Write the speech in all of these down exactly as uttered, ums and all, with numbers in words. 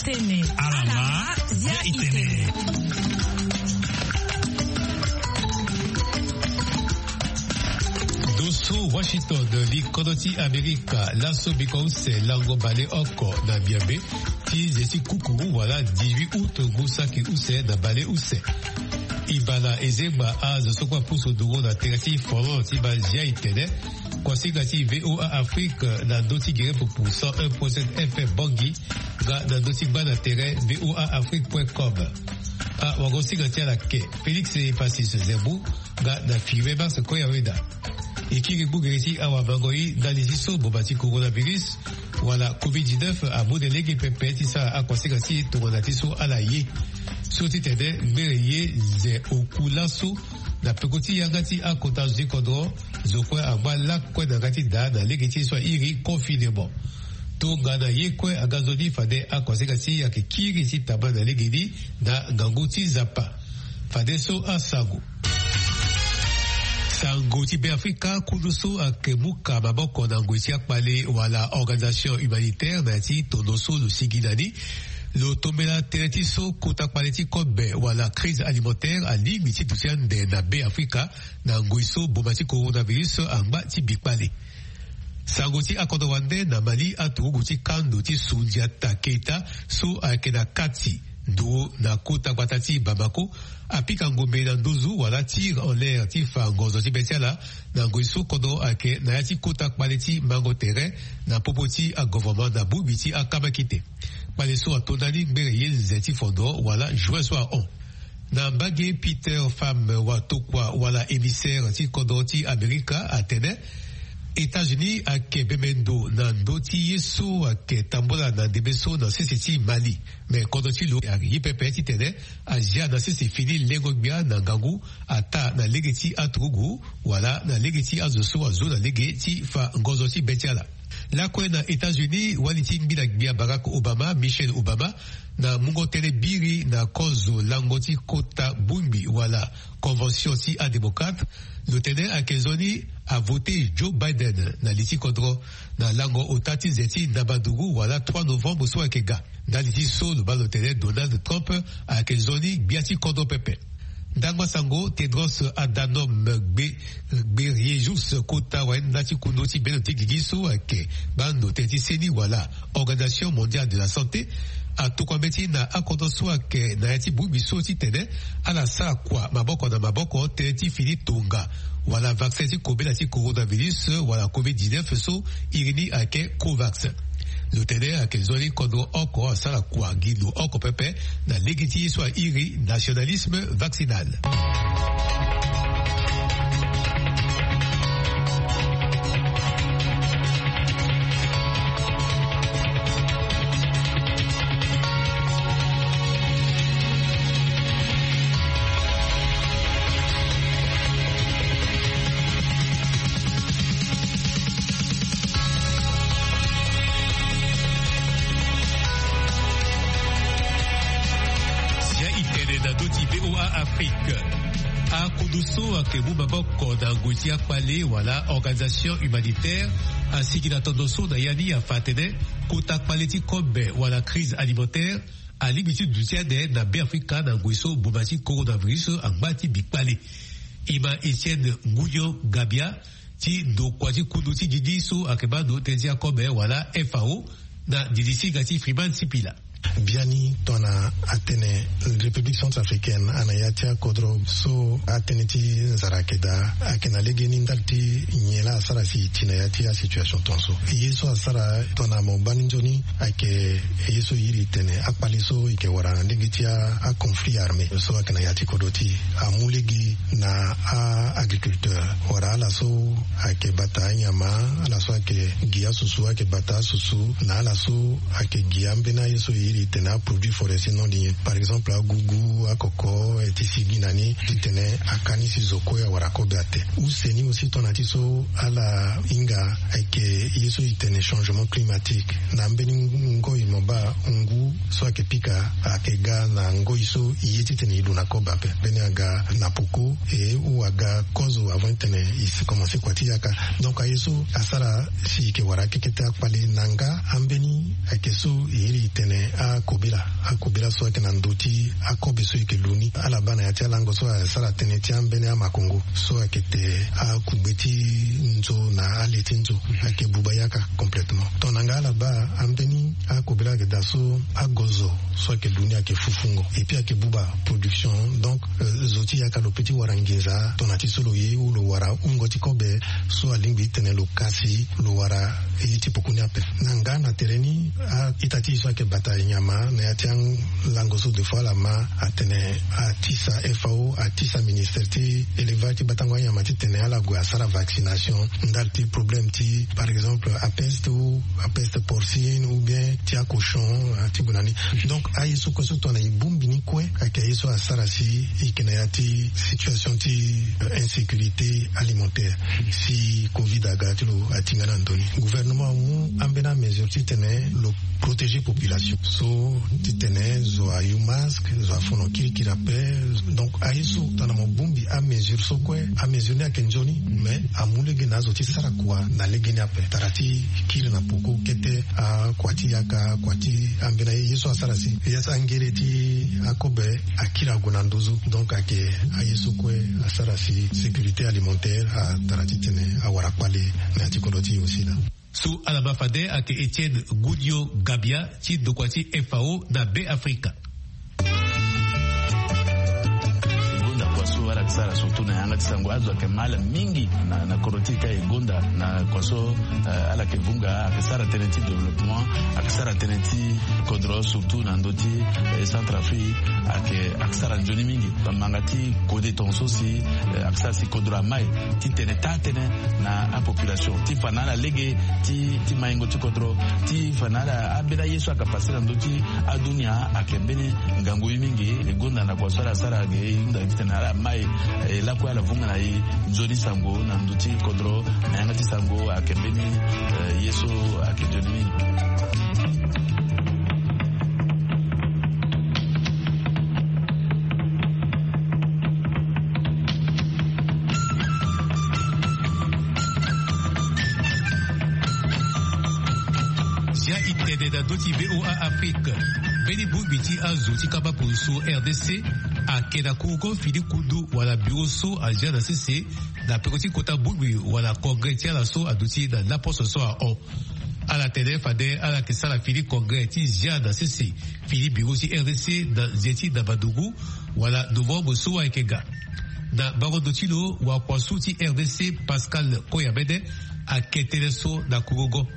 Alama, zia itene. Doso Washington, li kodro ti Amerika, laso biko use lango bale oko na miambe ti ze ti kukuru wala dix-huit août ngu saki use na bale use. Ibala ezengba azo so kue apusu nduru na tere ti folon ti ba zia itene. Kuasinga ti V O A Afrique na ndö ti gere pupu cent un point sept F M Bangui, nga na ndö ti gba na tere V O A Afrique point com. Awagosinga ti ala ke Félix Epacis Zembu, nga na Firmin Max Koyaweda. E kiri gbu gere ti awamango-i ndali ti so boma ti coronavirus wala covid dix-neuf amu na lege pepe ti sara akuasinga ti e tongana ti so ala ye. So ti tene ngbere ye ze oku laso na peko ti yanga ti akota zo ti kodro, zo kue angba lakue na yanga ti daa na lege ti e so airi confinement. Tongana ye kue aga nzoni fade akuasinga ti e ayeke kiri ti tamba na legeni na ngangu ti Nzapa. Fadeso asango. Sango ti Beafrika, kundu so ayeke mu ka maboko na ngoi ti akpale wala organisation humanitaire na ya ti tondo so lo sigi na ni. Lo tombela tënë ti so kota kpale ti kobe wala crise alimentaire alingbi ti duti ande na Beafrika na ngoi so boma ti coronavirus angba ti bi kpale. Sango ti akodro wande na Mali, aturugu ti kando ti Sundiata Keita so ayeke na kati nduru na kota gbata ti Bamako apika ngombe na nduzu wala tir en l'air ti fa ngonzo ti be ti ala na ngoi so kodro ayeke na ya ti kota kpale ti mango tere na popo ti agouvernement na bongbi ti akamakite. Kpale so ato ndani ngbere ye nze ti fondro wala juin so ahon. Na mbage Peter Pham watokua wala émissaire ti kodro ti Amerika atene États-Unis ayeke bembe ndo na ndö ti ye so ayeke tambola na ndembe so na sese ti Mali. Me kodro ti lo ayeke ye pepe titene azia na sese fini lengo-gbia na ngangu, ataa na lege ti aturugu wala na lege ti azo so azo na lege ti fa ngonzo ti be ti ala. Lakue na États-Unis, wali ti ngbila-gbia Barack Obama, Michelle Obama, na mungo tënë biri na kozo lango ti kota bongbi wala convention ti adémocrate, lo tene ayeke nzoni avote Joe Biden na li ti kodro na lango ota ti ze ti ndabanduru wala trois novembre so ayeke ga. Ndali ti so lo baa lo tene Donald Trump ayeke nzoni gbia ti kodro pepe. Ndangba sango Tedros Adhanom Gbe-, Ghebreyesus, kota wayenda ti kundu ti bendo ti gigi so ayeke baa ndo tënë ti seni wala Organisation Mondiale de la Santé, atokua mbeti na akodro so ayeke na ya ti bongbi so titene ala sara kua maboko na maboko tënë ti fini tonga wala vaccin ti kobela ti coronavirus wala covid dix-neuf so iri ni ayeke Covax. Lo tene ayeke nzoni kodro oko asara kua gi lo oko pepe na lege ti ye so airi nationalisme vaccinal. Sia itene na ndö ti V O A Afrique. Akundu so ayeke mu maboko na ngoi ti akpale wala organisation humanitaire asigi na tondo so na ya ni afa atene kota kpale ti kobe wala crise alimentaire alingbi ti duti ande na Beafrika na ngoi so boma ti coronavirus angba ti bi kpale. E ma Etienne Ngugno Gabia ti ndokua ti kundu ti gigi so ayeke baa ndo tënë ti akobe wala F A O na ndidi ti hinga ti Freeman Sipila. Biani tongana atene République centrafricaine ana ya ti akodro so atënë ti nzara ayeke daa, ayeke na legeni ndali ti nyen laa asara si e ti na ya ti asituation tongaso. Ye so asara tongana mo baa ni nzoni ayeke ye so e iri tene akpale so e yeke wara na lege ti a, aconflit armé so ayeke na ya ti kodro ti e amu lege na a-agriculteur wala ala so ayeke bata anyama, ala so ayeke gi asusu, ayeke bata asusu, na ala so ayeke gi ambeni aye so e iri tene aproduit forestier non lié, par exemple agugu, akoko, e ti sigi na ni titene aka ni si zo kue awara kobe ate. Use ni aussi tongana ti so ala hinga ayeke ye so e tene changement climatique. Na mbeni ngoi mo baa ngu so ayeke pika ayeke ga na ngoi so e ye titene e lu na kobe ape. Mbeni aga na poko, e ou aga kozo avant titene e si commencer kua ti yaka. Donc aye so asara si e yeke wara akekete akpale na nga ambeni ayeke so e iri tene akobe Akobela so ayeke na ndö ti akobe so e yeke lu ni ala baa na ya ti alango so asara tënë ti ambeni amakongo so ayeke te akugbe ti nzo na ale ti nzo ayeke buba yaka complètement. Tongana nga ala baa ambeni akobela ayeke daa so agozo so ayeke lu ni ayeke fufungo epui ayeke buba production. Donc zo ti yaka lo pe ti wara nginza tongana ti so lo ye ou lo wara wungo ti kobe so alingbi ti tene lo kasi lo wara ye ti poko ni ape. Na nga na tere ni a-ita ti e so ayeke bata nyama na ya ti alango so de fois ala ma atene atisa fao atisa ministère ti élevage ti batango anyama ti tene ala gue asara vaccination ndali ti problème ti par exemple apeste ou apeste porcine ou bien ti acochon ti gue na ni. Donc aye so kue so tongana e bongbi ni kue ayeke aye so asara si e yeke na ya ti situation ti insécurité alimentaire. Si covid aga ti lo atinga na ndoni gouvernement amu ambeni amesure ti tene lo protéger population so ti tene zo ayu masque zo afono kirikiri ape. Donc aye so tongana mo bongbi amesure so kue amesure ni ayeke nzoni mais amu lege na azo ti sara kua na lege ni ape tara ti kiri na poko kete akua ti yaka akua ti ambeni aye ye so asara si ye so angere ti akobe akiri ague na nduzu. Donc ayeke aye so kue asara si sécurité alimentaire atara titene awara kpale na ya ti kodro ti e aussi laa. So ala baa fade ayeke Etienne Goudio Gabia ti ndokua ti fao na Be Afrika. E gonda kua so ala yeke sara surtout na yanga ti sango azo ayeke ma ala mingi na kodro ti e ka e gonda na kua so ala yeke vunga ayeke sara tënë ti développement ayeke sara tënë ti kodro surtout na ndö ti Centrafrique ayeke ayeke sara nzoni mingi. Bamanga ti kode tongaso si ayeke sara si kodro amai ti tene taa tënë na apopulation ti fa na ala lege ti maingo ti kodro ti fa na ala ambeni aye so ayeke pase na ndö ti adunia ayeke mbeni ngangu ye mingi. E gonda na kua so ala sara ayeke e hunda titene ala mai e lakue ala vunga na e nzoni sango na ndö ti kodro na yanga ti sango ayeke mbeni ye so ayeke nzoni mingi. Zia e tene na ndö ti VOA Afrique. Mbeni bongbi ti azo ti kamba kuru so RDC ayeke na kurugo fini kundu wala biro so azia na sese na peko ti kota bongbi wala congrès ti ala so aduti na laposo so ahon. Ala tene fade ala yeke sara fini congrès ti zia na sese fini biro ti RDC na nze ti ndabadungu wala novembre so ayeke ga. Na bango ndo ti lo wakuasu ti RDC Pascal Koyamene ayeke tënë so na kurugo.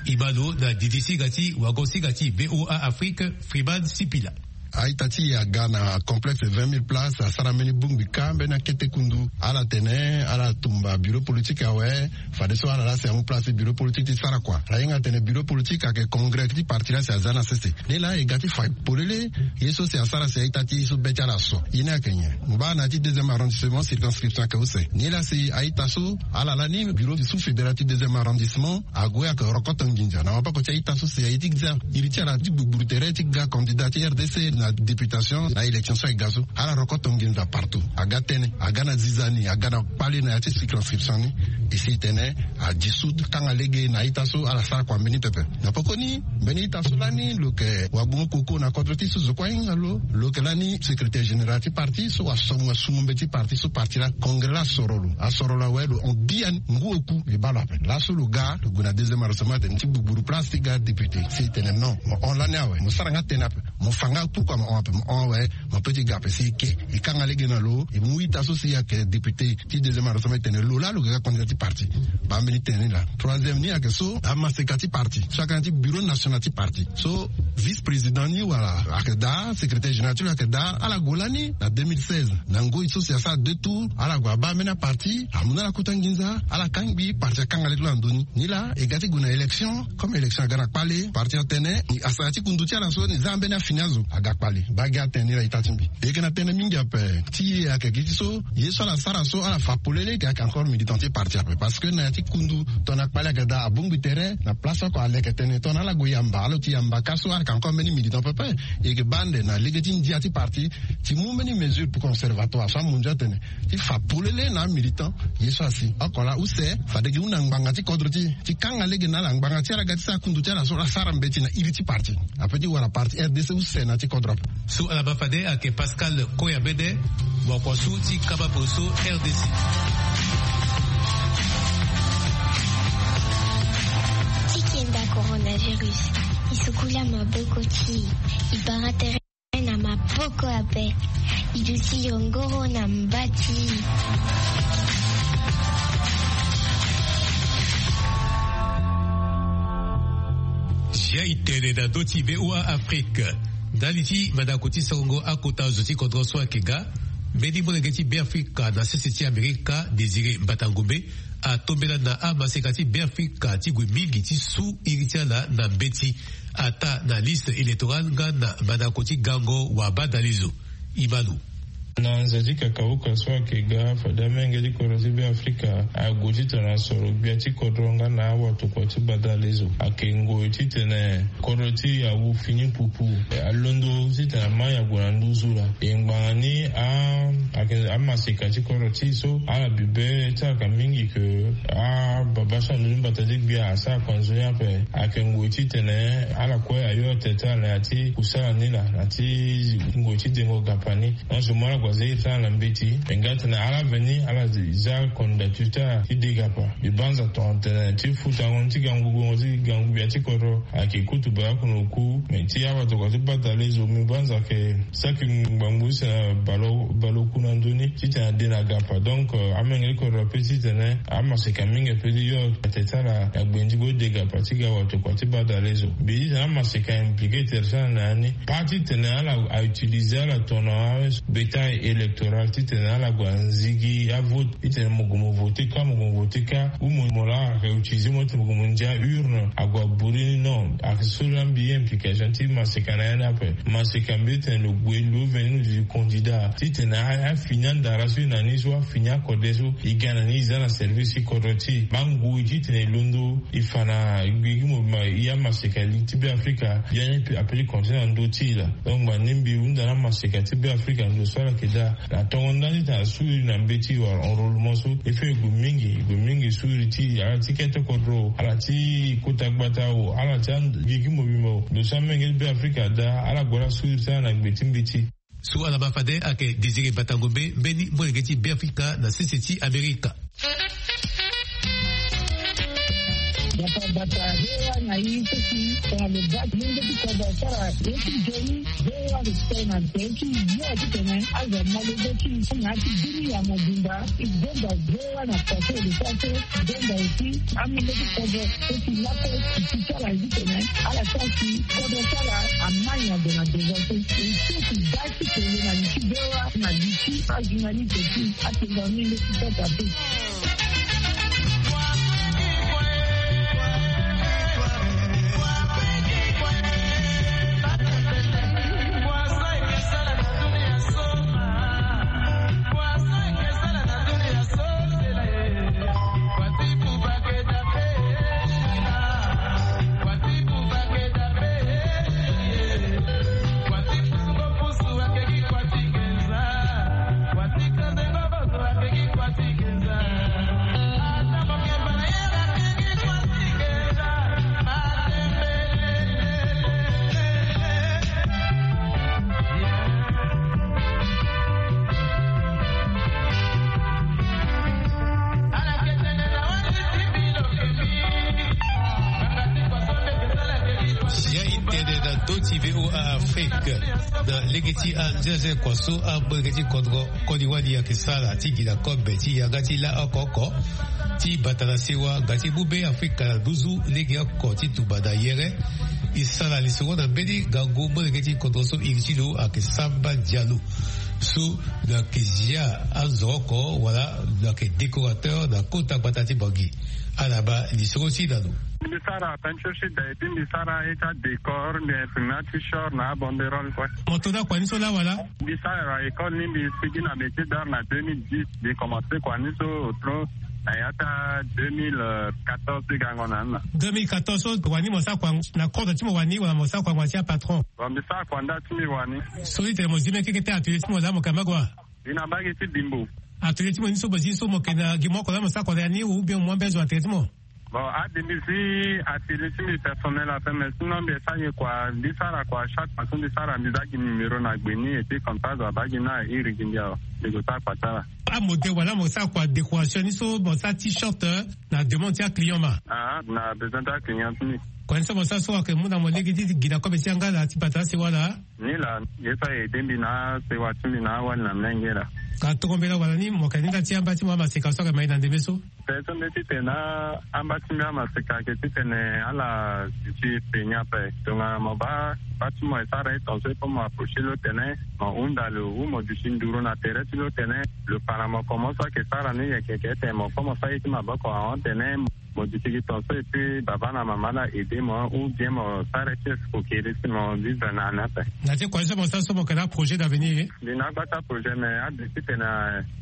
E ma lo na didi singa ti wago singa ti VOA Afrique Freeman Sipila. A-ita ti e aga na complexe vingt mille places asara mbeni bongbi ka mbeni akete kundu. Ala tene ala tumba bureau politique awe. Fadeso ala laa si amu place ti bureau politique ti sara kua. Ala hinga tene bureau politique ayeke congrès ti parti laa si aza na sese. Nilaa e ga ti fa polele ye so si asara si a-ita ti e so be ti ala so ye ni ayeke nyen? Mo baa na ya ti deuxième arrondissement circonscription ayeke use. Nilaa si a-ita so ala lani bureau ti sous fédéral ti deuxième arrondissement ague ayeke rokoto nginza na maboko ti a-ita so si aye ti za iri ti ala ti gbugburu tere ti ga candidat ti RDC na députation na élection so aye ga so. Ala rokoto nginza partout. Aga tënë aga na ziza ni aga na kpale na ya ti circonscription ni. E si tene a dissout kanga lege na a-ita so ala sara kua mbeni pepe. Na pokoni mbeni ita so lani lo yeke wagbongo koko na kodro ti so zo kue ahinga lo. Lo yeke lani secrétaire général ti parti so wasungo mbeti ti parti so parti laa congrès laa asoro lo asoro lo awe lo hon bia ngu oku. E baa lo ape laso lo ga lo gue na deuxième arrondissement atene ti gbugburu place ti ga député si e tene non mo hon lani awe mo sara nga tënë ape. Mo fa nga pourquoi mo hon ape mo hon awe. Mo pe ti ga ape si e ke e kanga lege na lo e mu ita so si ayeke député ti deuxième arrondissement e tene lo laa lo ga ga candidat ti parti. Baa mbeni tënë ni laa troisième ni ayeke so amaseka ti parti so ayeke na ya ti bureau national ti parti so vice président ni wala ayeke daa secrétaire général ti lo ayeke daa ala gue lani na deux mille seize na ngoi so si asara deux tours ala gue abaa mbeni aparti amu na ala kota nginza ala kangbi parti akanga lege ti lo na ndö ni. Ni laa e ga ti gue na élection comme élection aga na kpale parti atene ni asara ti kundu ti ala so ni za mbeni afini azo aga kpale. Baa gi atene ni laa e taa ti mbi e yeke na tënë mingi ape. Ti e ayeke gi ti so ye so ala sara so ala fa polele ayeke encore militant ti parti ape parce que na ya ti kundu tongana kpale ayeke daa abongbi tere na place oko aleke tene tongana ala gue yamba ala ti yamba ka so ala yeke encore mbeni militant pepe. E yeke baa ande na lege ti ndia ti parti ti mu mbeni mesure pour conservatoire so amondio atene ti fa polele na amilitant. Ye so asi oko laa use fade gi hunda ngbanga ti kodro ti e ti kanga lege na ala ngbanga ti ala ga ti sara kundu ti ala so ala sara mbeti na iri ti parti ape ti wara parti rdc. Use na ti kodro ape. So ala baa fade ayeke Pascal Koyamene, wakua so ti kaba poroso R D C. Ti kenda coronavirus, e sukula maboko ti e, e bara tere na maboko ape, e duti yongoro na mba ti e. Zia e tene na ndö ti V O A Afrique. Ndali ti mandako ti sango akota zo ti kodro so ayeke ga, mbeni molenge ti Beafrika na sese ti Amerika, Désiré Mbatangombe, atombela na amaseka ti Beafrika ti gue mingi ti su iri ti ala na mbeti, ataa na liste électorale nga na mandako ti gango wabadalezo. Imalu. Na nze ti kakauka so ayeke ga, fade amolenge ti kodro ti Beafrika ague titene asoro gbia ti kodro nga na awatokua ti badalezo. Ayeke ngoi titene kodro ti e awu fini pupu. E, alondo titene ama e ague na nduzu laa. E ngbanga ni a, ayeke amaseka ti kodro ti e so ala bibe ti ala ka mingi ke ababa so alondo ti mbata ti gbia asara kua nzoni ape. Ayeke ngoi titene ala kue ayo atene ti ala na ya ti kusala ni laa, na ya ti ngoi ti dengo gapa ni. Nyonso mo ala gue aza iri ti ala na mbeti. Me nga atene ala veni ala za candidature ti ala ti de gapa. Mbi banza tongana tene ti futango ni ti gangu gbongo ti gangu gbia ti kodro ayeke kutu baleoko na oku. Me ti awatokua ti badalezo, mbi banza ayeke saki ngbangbu use na baleoku na ndö ni titene ade na gapa. Donc, euh, amolenge ti kodro ape titene amaseka mingi ape ti yo atene ti ala na gbenzi gode gapa ti ga watokua ti badalezo. Mbi titene amaseka impliqué tere ti ala na ya ni. Pas titene ala a utiliser ala tongana bétail électoral titene ala gue anzigi avote. Titene mo gue mo voter kâ, mo gue mo voter kâ, ou mo, mo laa ayeke utiliser mo titene mo gue mo ndia urne ague aburi ni, non. Ayeke so laa mbi ye implication ti maseka na ya ni ape. Maseka mbi titene lo gue lo veni lo duti candidat titene a, afini andara so e na ni so, afini akode so e ga na ni, e za na service ti kodro ti e. Mbi ngoi titene e londo e fa na gigi mo ma, e amaseka li ti Beafrika, ya ni ape ti continent na ndö ti e laa. Donc ngbani mbi hunda na amaseka ti Beafrika ndo so ala yeke daa. Na tongo ndani ti tene asu iri na mbeti wala enrôlement so, e fait e gue mingi, e gue mingi su iri ti ala ti kete kodro, ala ti kota gbata o, ala ti ande gigi mobimba o. Ndo so amolenge ti Beafrika adaa, ala gue ala su iri ti ala na gbe ti mbeti. So ala ma fade ayeke Désiré Batangombe, mbeni molenge ti Beafrika na sese ti Amerika. Bata bata, V O A na i seki tongana lo baa ti lenge ti kodro asara ye ti nzoni. V O A respect na nze ti yo titene azo amolenge ti i na ya ti bini ya mobimba. I zonza V O A na porte de sante, i zonza aussi amolenge ti kodro so ti lape ti ti ti ala titene ala sara si kodro ti ala amai ado na devant so. I seki baa ti tene na li ti V O A na li ti ajournaliste ti atenga mingi ti sota pe. Ya e tene na ndö ti V O A Afrique, na lege ti anzenze kua so amolenge ti kodro koli wali ayeke sara ti gi na kobe ti yanga ti la oko oko ti bata na sewa nga ti mu Beafrika na nduzu lege oko ti tumba na yere. E sara lisoro na mbeni ngangu molenge ti kodro so iri ti lo ayeke Samba Diallo. So lo yeke zia azo oko wala lo yeke décorateur na kota gbata ti Bangui. Ala baa lisoro ti e na lo. Mbi sara peinture ti da et puis mbi sara ye ti adécor, mbi imprime ati short na abanderole kue. Mo to na kua ni so laa wala? Mbi sara école ni, mbi sigi na métier d'art na deux mille dix. Mbi commencé kua ni so otro na ya ti deux mille quatorze ti gango na ni laa. Deux mille quatorze so wani mo sara kua na kodro ti mo wani wala mo sara kua mo wani ti apatron? Bon, mbi sara kua nda ti mbi wani. So ti tene mo zi mbeni keke ti atelier ti mo laa mo yeke na mbage wa? Mbi na mbage ti Bimbo. Atelier ti mo ni so mo zi so mo yeke na gi mo oko laa mo sara kua na ya ni ou bien mo mu ambeni zo na atelier ti mo? Bon, adembi si atelier ti mbi personnel ape, mais sinon mbi esa ye kua mbi sara kua chaque fois so mbi sara mbi za gi numéro na gbe ni, et puis comme ça zo abaa gi ni na iri gi mbi awe. Mbi go sara kua ti ala. Amode wala mo sara kua décoration ni so mo sara t-shirt na demande ti aclient ma? Ah, na besoin ti aclient ti mbi. Kua ni so mo sara so ayeke mu na mo lege ti gi na kobe ti yanga na ti bata asewa laa? Ni laa ye so aye aide mbi na asewa ti mbi na awali na mlenge laa. Ka tongo mbela wala ni mo yeke ni nda ti amba ti mo amaseka so ayeke ma e na ndembe so? Pe so mbi ti tene na amba ti mbi amaseka ayeke ti tene ala duti pe ni ape. Tongana mo baa baa ti mo e sara e tonso e po mo approcher lo tene mo hunda lo ou mo duti nduru na tere ti lo tene lo para mo komo so ayeke sara ni yeke yeke tene mo po mo sara ye ti maboko ahon tene mo duti gi tonso et puis baba na mama la aide mo ou bien mo sara ti escroquerie si mo vivre na ni ape. Na ti kua so mo sara so mo yeke na aprojet d'avenir? Mbi na agba ti aprojet mais ade ti tene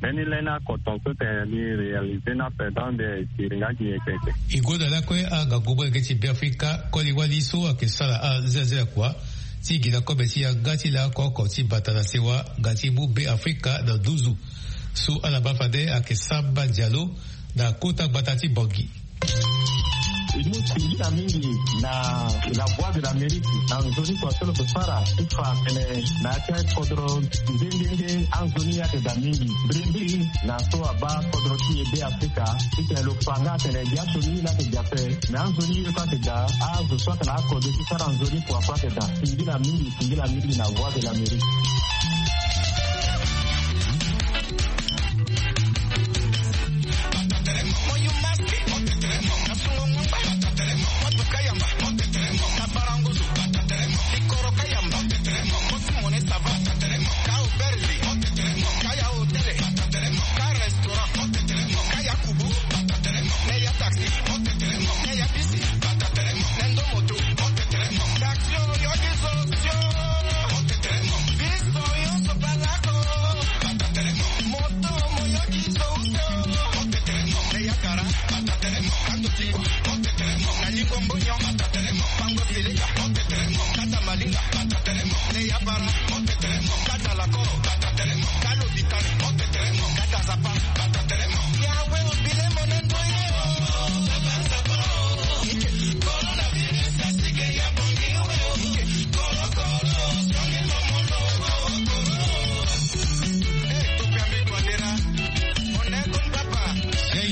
mbeni lani ako tonso tene mbi réaliser ni ape donc mbi siri nga gi yeke yeke. E gonda lakue angangu molenge ti Beafrika koli wali so ayeke sara azia azia kua ti gi na kobe ti yanga ti laoko oko ti bata na sewa nga ti mu Beafrika na nduzu. So ala ma fade ayeke Samba Diallo na kota gbata ti Bangui. E mu singila mingi na La Voix de l'Amérique na nzoni kua so lo yeke sara ti fa atene na ya ti akodro nde nde nde anzoni ni ayeke daa mingi. Mbirimbiri na so abaa kodro ti e Beafrika ti tene lo fa nga atene gi aso ni ni la ayeke daa ape. Mais anzoni ye kue ayeke daa azo so atene akodro ti sara nzoni kua kue ayeke daa. Singila mingi, singila mingi na Voix de l'Amérique.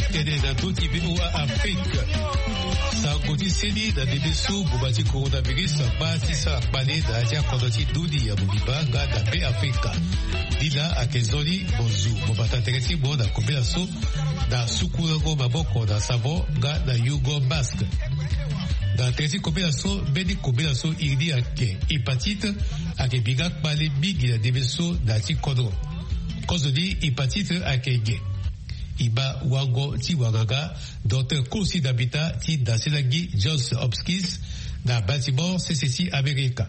Tene na ndö ti V O A Afrique. Sango ti seni na ndembe so ngboma ti coronavirus akpa ti sara kpale na ya ti akodro ti ndoni ya mobimba nga na Beafrika. Ni laa ayeke nzoni mo zu mo bata tere ti mo na kobela so na sukulango maboko na savon nga na yungo masque. Na tere ti kobela so mbeni kobela so iri ni ayeke hépatite ayeke bi nga kpale mingi na ndembe so na ya ti kodro. Kozoni hépatite ayeke ge. E ma wango ti wanganga, docteur Kosi Dabita ti Daselagi Johns Hopkins na bâtiment sese ti Amerika.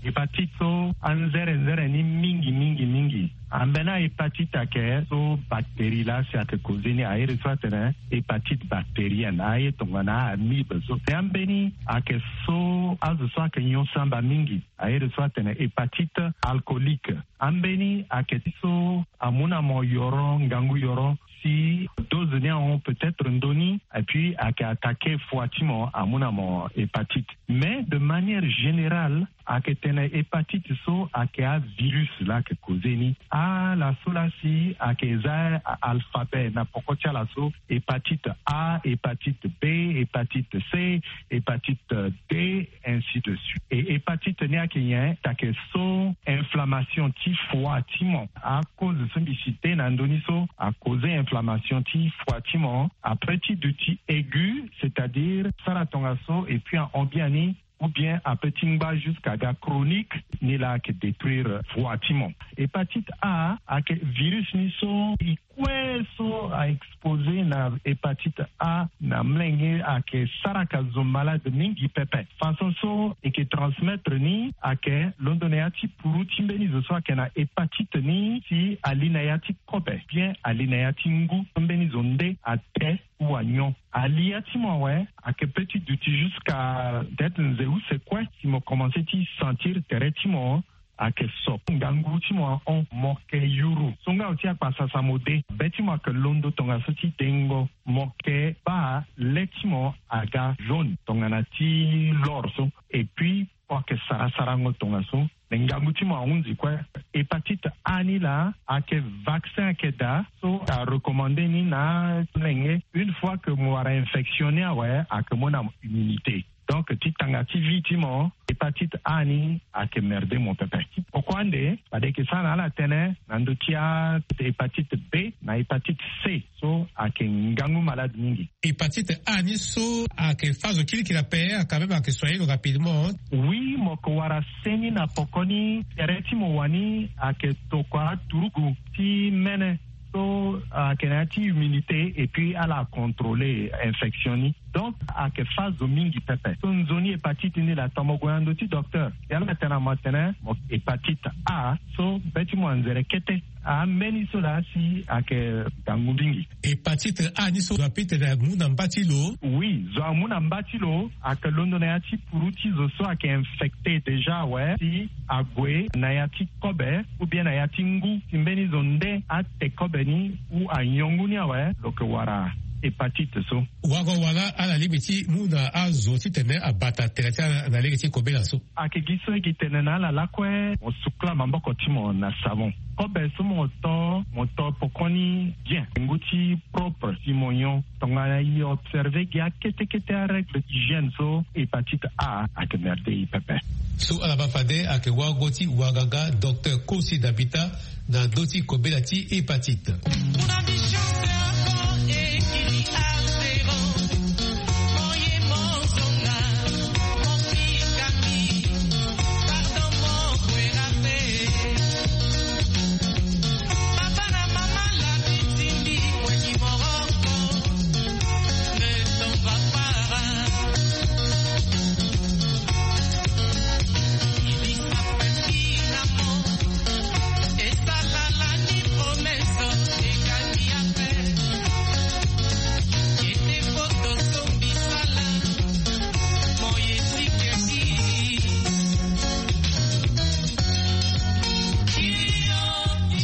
Hépatite so anzere nzere ni mingi mingi mingi. Ambeni ahépatite ayeke so bactérie laa si ayeke koze ni airi so atene hépatite bactérienne aye tongana amibe so. Te ambeni ayeke so azo so ayeke nyon samba mingi airi so atene hépatite alcoolique. Ambeni ayeke ti so amu na mo yoro ngangu yoro si dose ni ahon peut-être ndoni et puis ayeke attaquer foi ti mo amu na mo hépatite. Mais de manière générale ayeke tene hépatite so ayeke avirus laa ayeke koze ni. Ala so laa si ayeke za alphabet na poko ti ala so hépatite A, hépatite B, hépatite C, hépatite D, ainsi de suite. Et hépatite ni ayeke nyen? Ayeke so inflammation ti foi ti mo. Akoze so mbi cite na ndö ni so akoze inflammation ti foi ti mo. Après ti duti aigu, c'est-à-dire sara tongaso et puis ahon biani ou bien ape ti ngba jusqu'à ga chronique, ni laa ayeke détruire foi ti mo. Hépatite A ayeke virus ni so e kue so a exposé na hépatite A na mlenge ayeke sara ka zo malade mingi pepe. Façon so e yeke transmettre ni ayeke londo na ya ti puru ti mbeni zo so ayeke na hépatite ni si ali na ya ti kobe bien ali na ya ti ngu so mbeni zo nde ate ou anyon. Ali ya ti mo awe ayeke pe ti duti jusqu'à peut-être nze use kue si mo commencé ti sentir tere ti mo Ayeke so ngangu ti mo ahon, mo yeke yuru so nga oti akpasasa mo de. Be ti mo ayeke londo tongaso ti dengo. Mo yeke baa le ti mo aga jaune tongana ti lor so. Et puis mo yeke sara sarango tongaso. Me ngangu ti mo ahunzi kue. Hépatite A ni laa ayeke vaccin ayeke daa so arecommandé ni na molenge. Une fois que mo wara infection ni awe, ayeke mu na mo immunité. Donc ti tanga ti vie ti mo, hépatite A ni ayeke merde mo pepe. Pourquoi nde? Fade eke sara na ala tënë na ndö ti ahépatite B na hépatite C so ayeke ngangu malade mingi. Hépatite A ni so ayeke fâ zo kirikiri ape, quand même ayeke soigné lo rapidement. Oui, mo yeke wara se ni na poko ni. Tere ti mo wani ayeke tokua turugu ti mene so ayeke na ya ti immunité et puis ala acontrôlé infection ni. Donc ayeke fâ zo mingi pepe. So nzoni hépatite ni laa, tongana mo gue na ndö ti docteur, si ala tene na mo atene mo hépatite A, so be ti mo anzere kete. Ambeni so laa si ayeke ngangu mingi. Hépatite A ni so zo ape tene amu na mba ti lo? Oui, zo amu na mba ti lo. Ayeke londo na ya ti puru ti zo so ayeke infecté déjà awe, si ague na ya ti kobe ou bien na ya ti ngu, si mbeni zo nde ate kobe ni ou anyon ngu ni awe, lo yeke wara hépatite so. Wago wala ala lingbi ti mu na azo titene abata tere ti ala na lege ti kobela so? Ayeke gi so e gi tene na ala lakue, mo sukula maboko ti mo na savon. Kobe so mo to, mo to pokoni bien, ngu ti propre, si mo nyon. Tongana e observé gi akete kete arègle d'hygiène so, hépatite A ayeke merde e pepe. So ala baa fade ayeke wago ti waganga, docteur Kosi Dabita, na ndö ti kobela ti hépatite.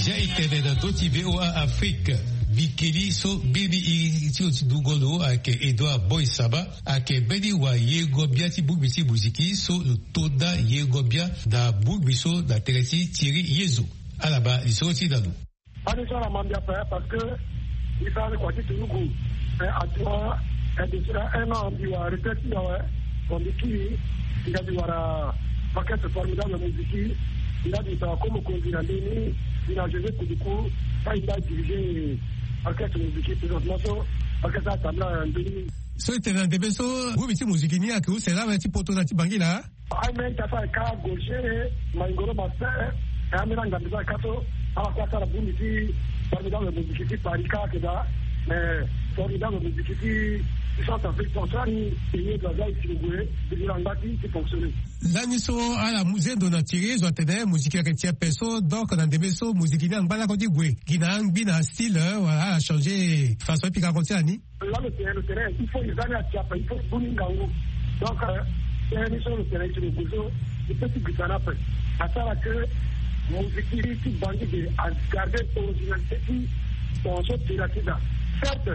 Zia e tene na ndö ti V O A Afrique. Bikeli so mbeni iri ti lo ti dungo lo ayeke Edouard Boy Saba, ayeke mbeni wayengo-bia ti bongbi ti moziki so lo to nda yengo-bia na bongbi so na tere ti tiri ye zo. Ala baa lisoro ti na lo. Ani so ala ma mbi ape parce que mbi sara ni kua ti tunuku. Eh, actuellement, eh, depuis un an mbi wara retraite ti mbi awe. Bon, mbi kiri, mbi ga mbi wara orchestre formidable moziki. Mbi ga mbi sara comme mokonzi na ndö ni. Mbi na José Kuduku, aye mbi adirigé orchestre moziki présentement so orchestre atambula na ndö ni. So e tene na ndembe so groupe ti moziki ni ayeke use laa ti poto na ti Bangui laa? Aye mbi aita so ayeke kâ Gaucher, Maingoro Master, eh, ambeni angambi so ayeke kâ so, ala kue asara bongbi ti formidable moziki ti Paris kâ ayeke daa, mais formidable moziki ti, ti Centrafrique, so asara ni, e ye do aza e si lo gue, e gue na ngba ti, ti fonctionner. Lani so ala mu zendo na tiri zo atene moziki ayeke ti ape so, donc na ndembe so moziki ni angba lakue ti gue gi na angbi na astyle, eh, wala ala changé façon ti pika kua ti ala ni? Là, le terrain, le terrain, il faut les années à Tiapa, il faut Buni Ngangu. Donc, euh, terrain, sur le terrain, sur le gouzo, il peut tout glisser en après. À ça, là, que musique, qui bandit, à garder originalité, qui, bon, so, tu l'as, tu l'as. Certes,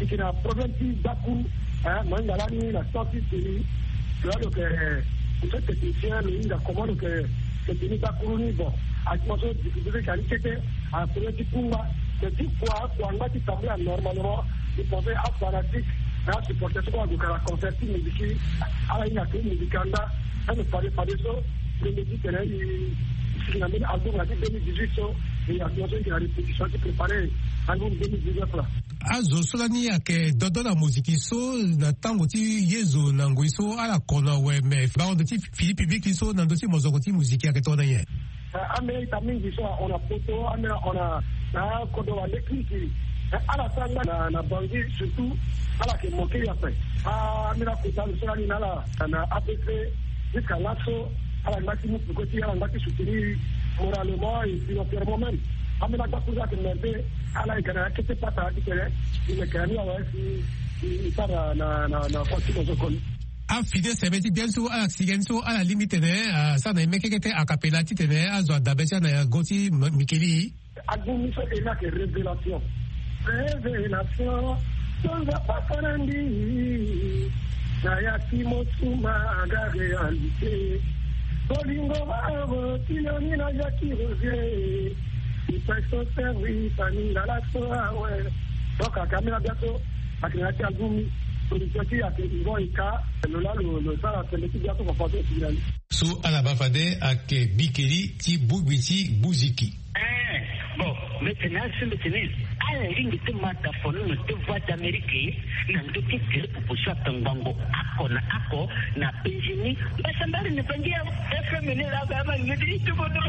il y a un problème qui, Bakou, hein, Mangalani, la sortie, c'est lui. Là, donc, euh, il faut technicien, le, il a comment, donc, euh, c'est fini, Bakou, lui, bon, à ce moment, difficulté, qui a été, a premier ti kungba, mais ti kua, kua ngba ti tambula normalement, ti pensé a fanatique, na asupporter so kue ague ka na concert ti miziki, ala hinga ke miziki anda, ande fade fade so, premier ti tene, i, i sigi na mbeni album na ti deux mille dix-huit so, e actuellement so e yeke na répétition ti préparer album deux mille dix-neuf la. Azo so lani ayeke dodo na moziki so, na tango ti ye zo na ngoi so ala kono awe, me bango ndo ti fini public so na ndö ti mozoko ti moziki ayeke tongana nyen? Eh, ambeni ita mingi so ahon na poto, ambeni ahon na, na kodro wande kiri kiri. Eh, ala sara ngba na, na Bangui surtout, ala yeke manqué ya ape. Ah, ambeni akota lo so lani na ala na A P C, jusqu'à laso, ala ngba ti mu peko ti, ala ngba ti soutenir moralement et financièrement même. Ambeni agbakuru so ayeke merde, ala yeke na ya kete pata titene e yeke na ni awe si e sara na, na, na kua ti mozoko ni. afide sebe ti bien so ala sigi ni so ala lingbi tene asara na ye mekeke te akapela titene azo adabe ti ala na go ti mikeli. Agbumi so e lake révélation. Révélation. So nzapa fana ndi na ya ti mosuma aga réalité. Bolingo baro tiloni na jaki roger. Ipeso servi famille ngala so awe. Donc akamela biaso akina ti agbumi. Production ti ake ivo ika. Lo la lo lo sara sende ti biaso fafaso etirali. So ala baa fade ake bikeli ti bugbi ti buziki. Eh, bon, mbi tene asi mbi tene ala lingbi ti ma tafono na te voix d'amérique na ndö ti tele popo so atongbango ako na ako na penzi ni. Mbasambari na bangi ya fm ni la ba ma ngedi itubono.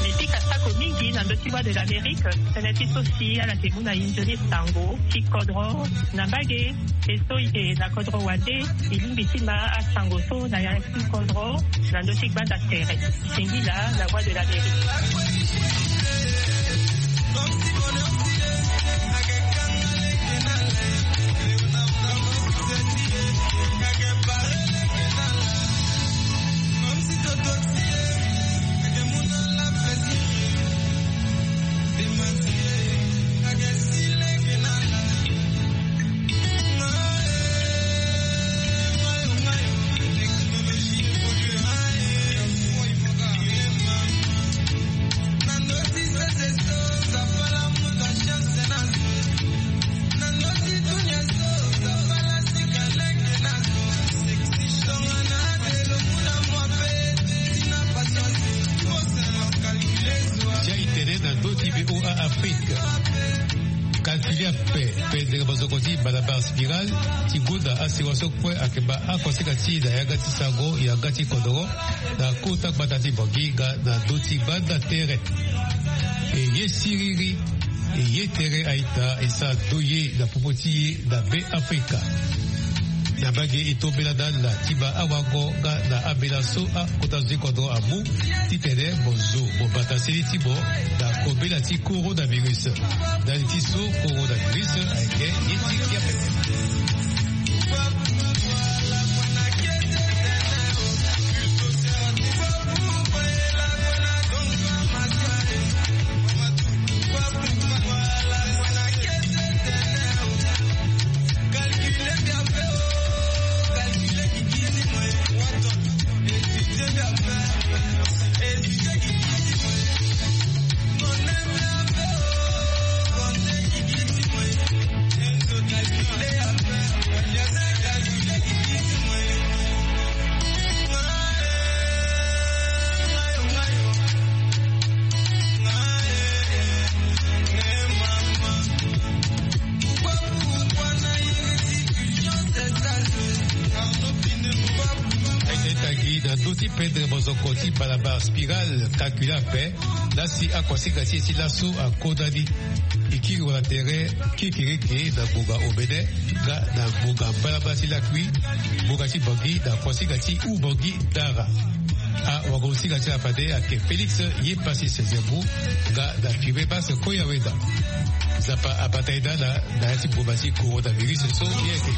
Mbi pika sako mingi na ndö ti Voix de l'Amérique. Tënë ti so si ala yeke mu na e nzoni sango ti kodro na mbage. E so e yeke na kodro wande e lingbi ti ma asango so na ya ti kodro na ndö ti gbanda tere. Singila, la Voix de l'Amérique. Ti a e tene na ndö ti voa afrique. Kalkili ape pendere bozoko ti balabar spiral ti gonda asirance so kue ayeke baa akosika ti e na yanga ti sango yanga ti kodoro na kota gbata ti bangi nga na ndö ti gbanda tere. E ye siriri e ye tere aita e sara ndo ye na popo ti e na be afrika. Na mbage e tombela na ala ti baa awango nga na ambela so akota zo ti kodro amu titene mo zo mo bata seni ti mo na kobela ti coronavirus. Ndali ti so coronavirus ayeke ye ti kia pepe. Aye tagi na ndö ti pendre mozoko ti balabala spiral kakila ape. Lasi akosinga ti e ti laso akodani. E kiri wala tere kekereke na ngonga omene nga na ngonga mbalambala ti lakui. Ngonga ti bangi na kosinga ti ubangi dara. Awagosinga ti ala fade ayeke félix ye pasi sezembu nga na fiwe base koya weda. Nzapa abata ye na ala na ya ti mboma ti coronavirus so ye yeke.